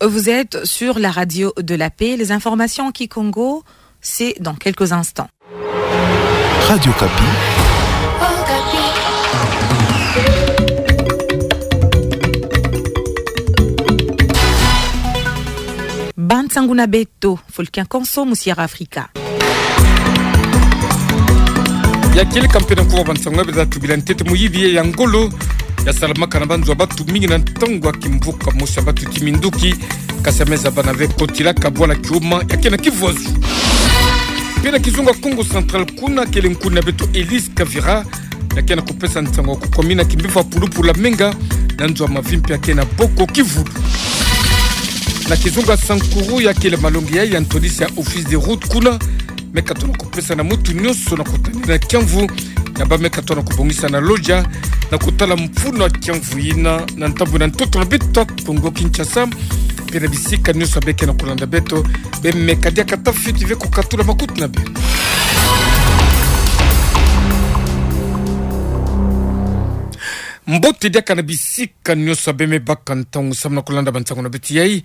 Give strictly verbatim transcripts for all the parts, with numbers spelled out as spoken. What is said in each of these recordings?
Vous êtes sur la radio de la paix. Les informations en kikongo, c'est dans quelques instants. Radio Okapi. Bansangu na beto, Fulkin Konso, mu Sierra Africa. Ya kieleka mpe na nkuwa bansangu ya beto, tubila ntete muyibi ya ngolo ya salamaka na banzo ya batu mingi na ntangu ya kimvuka mosi ya batu ti minduki, kasi ya meza bana ve kotilaka bwala Kioma ya ke na Kivuazu. Mpe na kizunga Kongo Central kuna, kele nkuni na beto Elise Kavira ya ke na kupesa nsangu ya kukomina kimbevo ya pulupulu ya menga na nzo ya mavimpi ya ke na Boko Kivulu. Na kizunga Sankuru, ya kele malongi ya, ya ntwadisi ya Office des routes kuna, me katona kupesa na mutu nyonso na kutani na kiamvu ya bâ me katona kubongisa na loja na kutala mfunu ya kiamvu yina na ntambu na ntoto na beto Kongo Kinshasa. Mpe na bisika nyonso ya bê ke na kulanda beto, bê meka diaka tafiti ve kukatula makutu na bê. Mbote diaka na bisika nyonso ya bê me baka ntangu samu na kulanda bansangu na beto yai.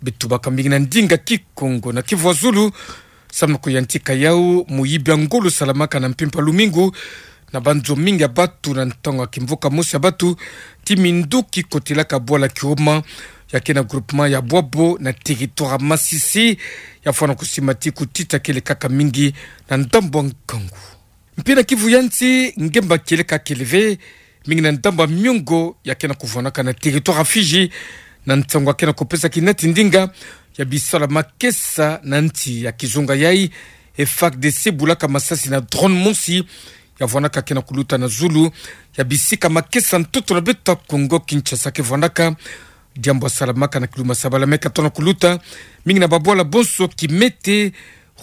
Beto baka mingi na ndinga Kikongo na Kivuazulu samu na kuyantika yau muyibi ya ngolo salamaka na mpimpa lumingu na banzo mingi ya batu na ntangu ya kimvuka mosi ya batu ti minduki kotilaka bwala Kioma ya ke na groupement ya Bwabo na territoire ya Masisi. Ya fwana kusimba ti kutita kele kaka mingi na ndambu ya nkangu. Mpe na Kivu ya nsi, ngemba kieleka kele ve, mingi na ndambu ya miongo ya ke na kuvwanaka na territoire ya Fidji, na nsangu ya ke na kupesa kinati ndinga ya bisalu ya makesa na nsi ya kizunga yai. FARDC bulaka masasi na drone mosi ya vwanaka ke na kuluta na zulu ya bisika makesa ntoto na beto Kongo Kinshasa ke vwanaka. Diambu ya salamaka na kiluma sabala me katona kuluta mingi na babwala bonso Kimete,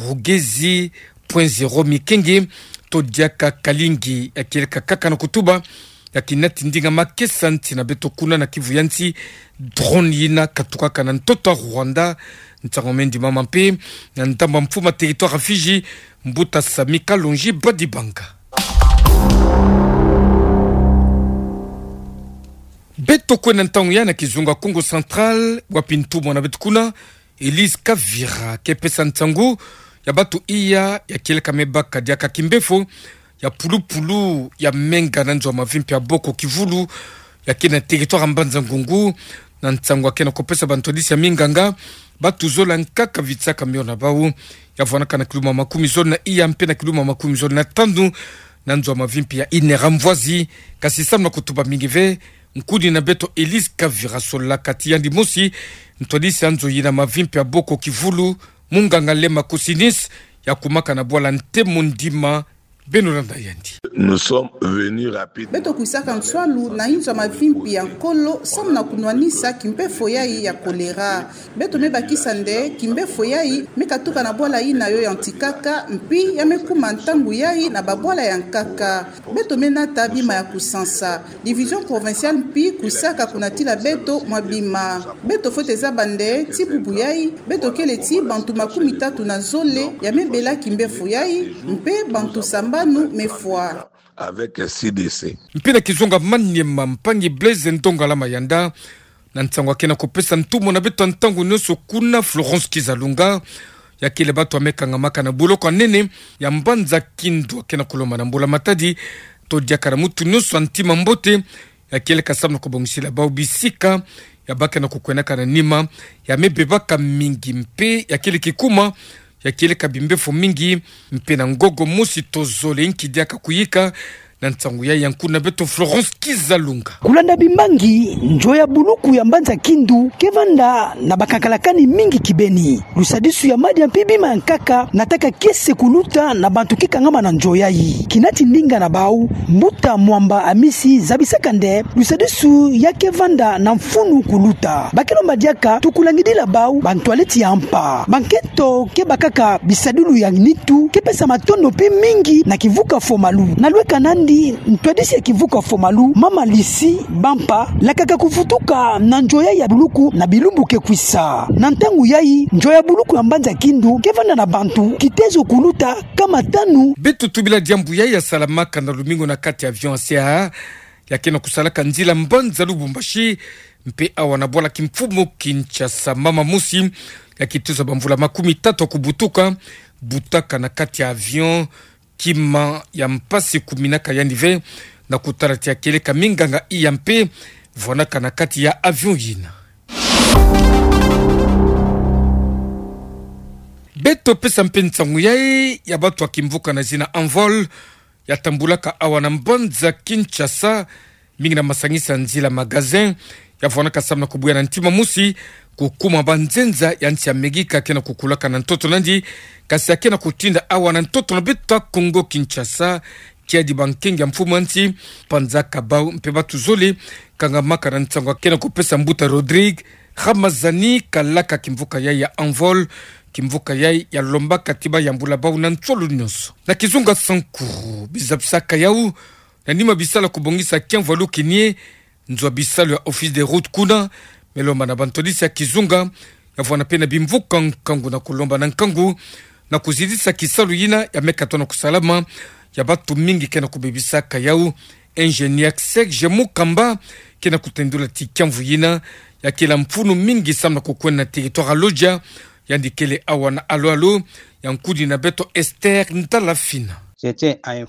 Rugezi, Point Zero, Mikenge, to diaka Kalingi, ya kieleka kaka na kutuba ya kinati ndinga makesa nsi na beto kuna na Kivu ya nsi, drone yina katukaka na ntoto ya Rwanda. Nsangu me ndimama mpe na ndambu ya mfumu ya territoire ya Fidji, mbuta Sami Kalonji Badibanga. Beto kwenda ntangu ya na kizunga Kongo Central, wapi ntumwa na beto kuna, Elise Kavira ke pesa nsangu ya batu iya ya kieleka me baka diaka kimbefo ya pulupulu ya menga na nzo ya mavimpi ya Boko Kivulu ya ke na territoire ya Mbanza Ngungu. Na nsangu ya ke na kupesa bantwadisi ya minganga, batu zole ya nkaka vitsaka mio na bau. Ya vwanaka na kiluma makumi zole na iya mpe na kiluma makumi zole na tanu na nzo ya mavimpi ya Inera Mvwazi. Kasi samu na kutuba mingi ve, nkuni na beto Elise Kavira solaka ti yandi mosi ntwadisi ya nzo yina mavimpi ya Boko Kivulu, munganga Lema Kosinis, ya kumaka na bwala Ntemo Ndima. Beno landa yandi. Nous sommes venus rapidement. Beto kwisaka nswalu na inzo ya mavimpi ya Nkolo samu na kunwanisa kimbefo yai ya kolera. Beto me bakisa nde kimbefo yai me katuka na bwala yina yo yantikaka, mpi ya me kuma ntangu yai na babwala ya nkaka. Beto me nata bima ya kusansa. Division provinciale mpi kwisaka kunatila beto mwa bima. Beto fwete zaba nde ti bubu yai, beto kele ti bantu makumi tatu na zole ya me bela kimbefo yai, mpe bantu sambanu me fwa. Avec C D C. Mpi na kizunga Maniema, mpangi Blaise Ndongala Mayanda, na nsangu ya ke na kupesa ntumwa na beto ya ntangu nyonso kuna, Florence Kizalunga, ya kele batu ya me kangamaka na boloko ya nene ya mbanza Kindu, ya ke na kulomba na mbula matadi to diaka na mutu nyonso ya ntima mbote, ya kieleka samu na kubongisila bau bisika ya bake na kukwendaka na nima ya me bebaka mingi mpe ya kele kikuma ya kieleka bimbefo mingi mpe na ngogo mosi to zole nki diaka kuyika. Na nsangu yai ya nkuni na beto Florence Kizalunga. Kulanda bimbangi, nzo ya buluku ya mbanza Kindu ke vanda na bakakalakani mingi kibeni. Lusadisu ya madia mpi bima ya nkaka nataka kiese kuluta na bantu ke kangama na nzo yai. Kinati ndinga na bau, mbuta Mwamba Amisi zabisaka nde lusadisu ya ke vanda na mfunu kuluta. Ba ke lomba diaka tukulangidila bau bantwaleti ya mpa. Bankento ke bakaka bisadilu ya nitu ke pesa matondo mpi mingi na kivuka Fomalu. Na lweka nandi, ntwadisi ya kivuka Fomalu, mama Lisi Bampa, lakaka kuvutuka na nzo yai ya buluku na bilumbu ke kwisa. Na ntangu yai, nzo ya buluku ya mbanza Kindu ke vanda na bantu kitezo kuluta kama tanu. Beto tubila diambu yai ya salamaka na lumingu na kati ya avion ya C A A ya ke na kusalaka nzila mbanza Lubumbashi Mpe awa na bwala kimfumu Kinshasa, mama mosi ya kitusa bamvula makumi tatu ya kubutuka, butaka na kati ya avion, kima ya mpasi kuminaka yandi ve, na kutala ti ya kieleka minganga iya mpe vwanaka na kati ya avion yina. Beto pesa mpe nsangu yayi ya batu ya kimvuka na zina Envol, ya tambulaka awa na mbanza Kinshasa, mingi na masangisa nzila, magasin, ya vwanaka samu na kubuya na ntima mosi kukuma banzenza ya nsi ya Amerika ke na kukulaka na ntoto nandi, kasi ya ke na kutinda awa na ntoto na beto ya Kongo Kinshasa, kiadi bankenge ya mfumu ya nsi, mpanza, kabau mpe batu zole, kangamaka na nsangu ya ke na kupesa mbuta Rodrigue Ramazani, kalaka kimvuka yayi ya Envol, kimvuka yayi ya lombaka ti bayambula bau na nsolo nyonso. Na kizunga Sankuru, bizabisaka yau, na nima bisalu ya kubongisa kiamvu ya lukinie, nzo ya bisalu ya Office des Routes kuna, me lomba na bantwadisi ya kizunga, ya vwana mpe na bimvuka nkangu na kulomba na nkangu, na kuzidisa kisalu yina ya me katuka na kusalama, ya batu mingi ke na kubebisaka yau. Ingénieur Serge Mukamba ke na kutendula ti kiamvu yina, ya kela mfunu mingi samu na kukwenda na territoire ya Lodja, yandi kele awa na alo-alo ya nkudi na beto Esther Ndalafina.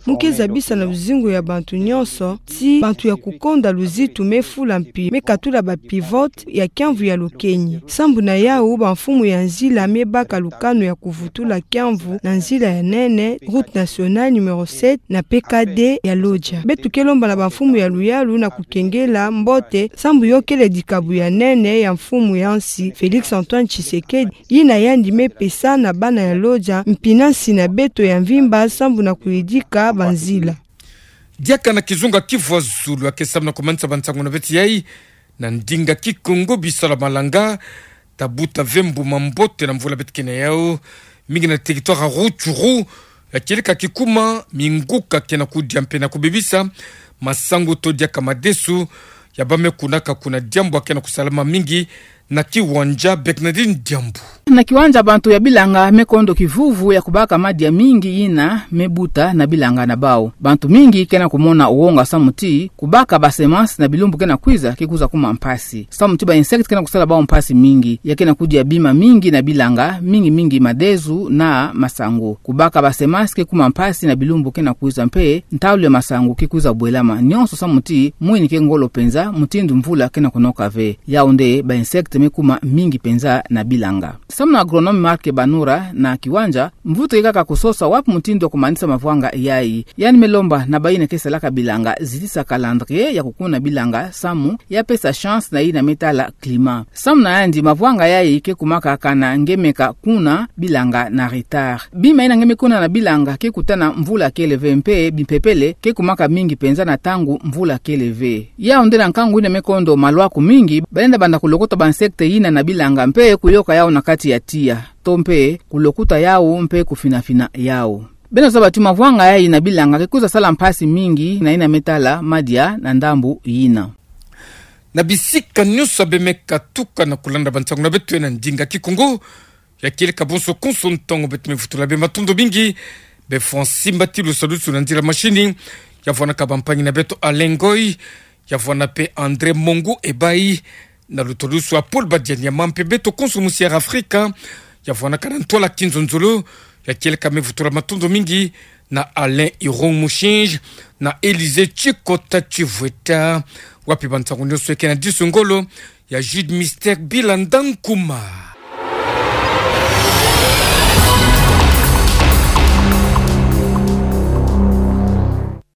Mu ke zabisa na luzingu ya bantu nyonso ti bantu ya kukonda luzitu me fula mpi, me katula ba pivote ya kiamvu ya lukenyi. Sambu na yau, bamfumu ya nzila me baka lukanu ya kuvutula kiamvu na nzila ya nene, route nationale numéro sept na P K D ya Lodja. Beto ke lomba na bamfumu ya luyalu na kukengela mbote, sambu yo kele dikabu ya nene ya mfumu ya nsi Félix Antoine Tshisekedi, yina yandi me pesa na bana ya Lodja, mpi na nsi na beto ya mvimba, sambu na kuyidika banzila. Diaka na kizunga Kivu ya zulu ya ke samu na kumanisa bansangu na beto yayi, na ndinga Kikongo, bisalu ya malanga, ta buta ve mbuma mbote na mvula beto ke na yau, mingi na territoire ya Rutshuru, ya kieleka kikuma, minguka ke na kudia mpe na kubebisa masangu to diaka madesu, ya ba me kunaka kuna diambu ya ke na kusalama mingi, na kiwanja Bernardine Diambu. Na kiwanja, bantu ya bilanga me kondo kivuvu ya kubaka madia mingi yina me buta na bilanga na bau. Bantu mingi ke na kumona wonga samu ti kubaka ba semences na bilumbu ke na kwiza ke kwiza kuma mpasi. Samu ti ba insectes ke na kusala bau mpasi mingi, ya ke na kudia bima mingi na bilanga, mingi mingi madesu na masangu. Kubaka ba semences ke kuma mpasi na bilumbu ke na kwiza mpe ntalu ya masangu ke kwiza bwelama. Nyonso samu ti mwini ke ngolo penza, mutindu mvula ke na kunoka ve. Yau nde ba insectes me kuma mingi penza na bilanga. Samu na agronome Marc Banura, na kiwanja, mvutu ke kaka kusosa wapi mutindu ya kumanisa mavwanga yayi. Yandi me lomba na bayina ke salaka bilanga zitisa calendrier ya kukuna bilanga samu ya pesa chance na yina me tala climat. Samu na yandi, mavwanga yayi ke kumaka kana nge meka kuna bilanga na retard. Bima yina nge me kuna na bilanga ke kutana mvula kele ve mpe bimpepele ke kumaka mingi penza na ntangu mvula kele ve. Yau nde na nkangu yina me kondo malwaku mingi, balenda banda kulokota ba insectes yina na bilanga mpe kuyoka yau na kati ya tiya, to mpe kulokuta yau mpe kufinafina yau. Beno zaba ti mavwanga yayi na bilanga ke kwiza sala mpasi mingi na yina me tala madia na ndambu yina. Na bisika nyonso ya be me katuka na kulanda bansangu na beto na ndinga Kikongo, ya kieleka bonso konso ntangu, beto me vutula be matondo mingi. Be Francis Mbatilu, salusu na nzila machine, ya vwanaka bampangi na beto Alain Ngoy, ya vwana mpe André Mongu Ebayi, na lutalusu ya Paul Badianyama mpe beto konso musi Air Africa, ya vwanaka na ntwala kinzonzolo, ya kieleka me vutula matondo mingi na Alain Irung Mushinji, na Élysée Tshikota Tshivweta, wapi bansangu nyonso ya ke na disu ngolo, ya Jude Mister Bilanda Nkuma.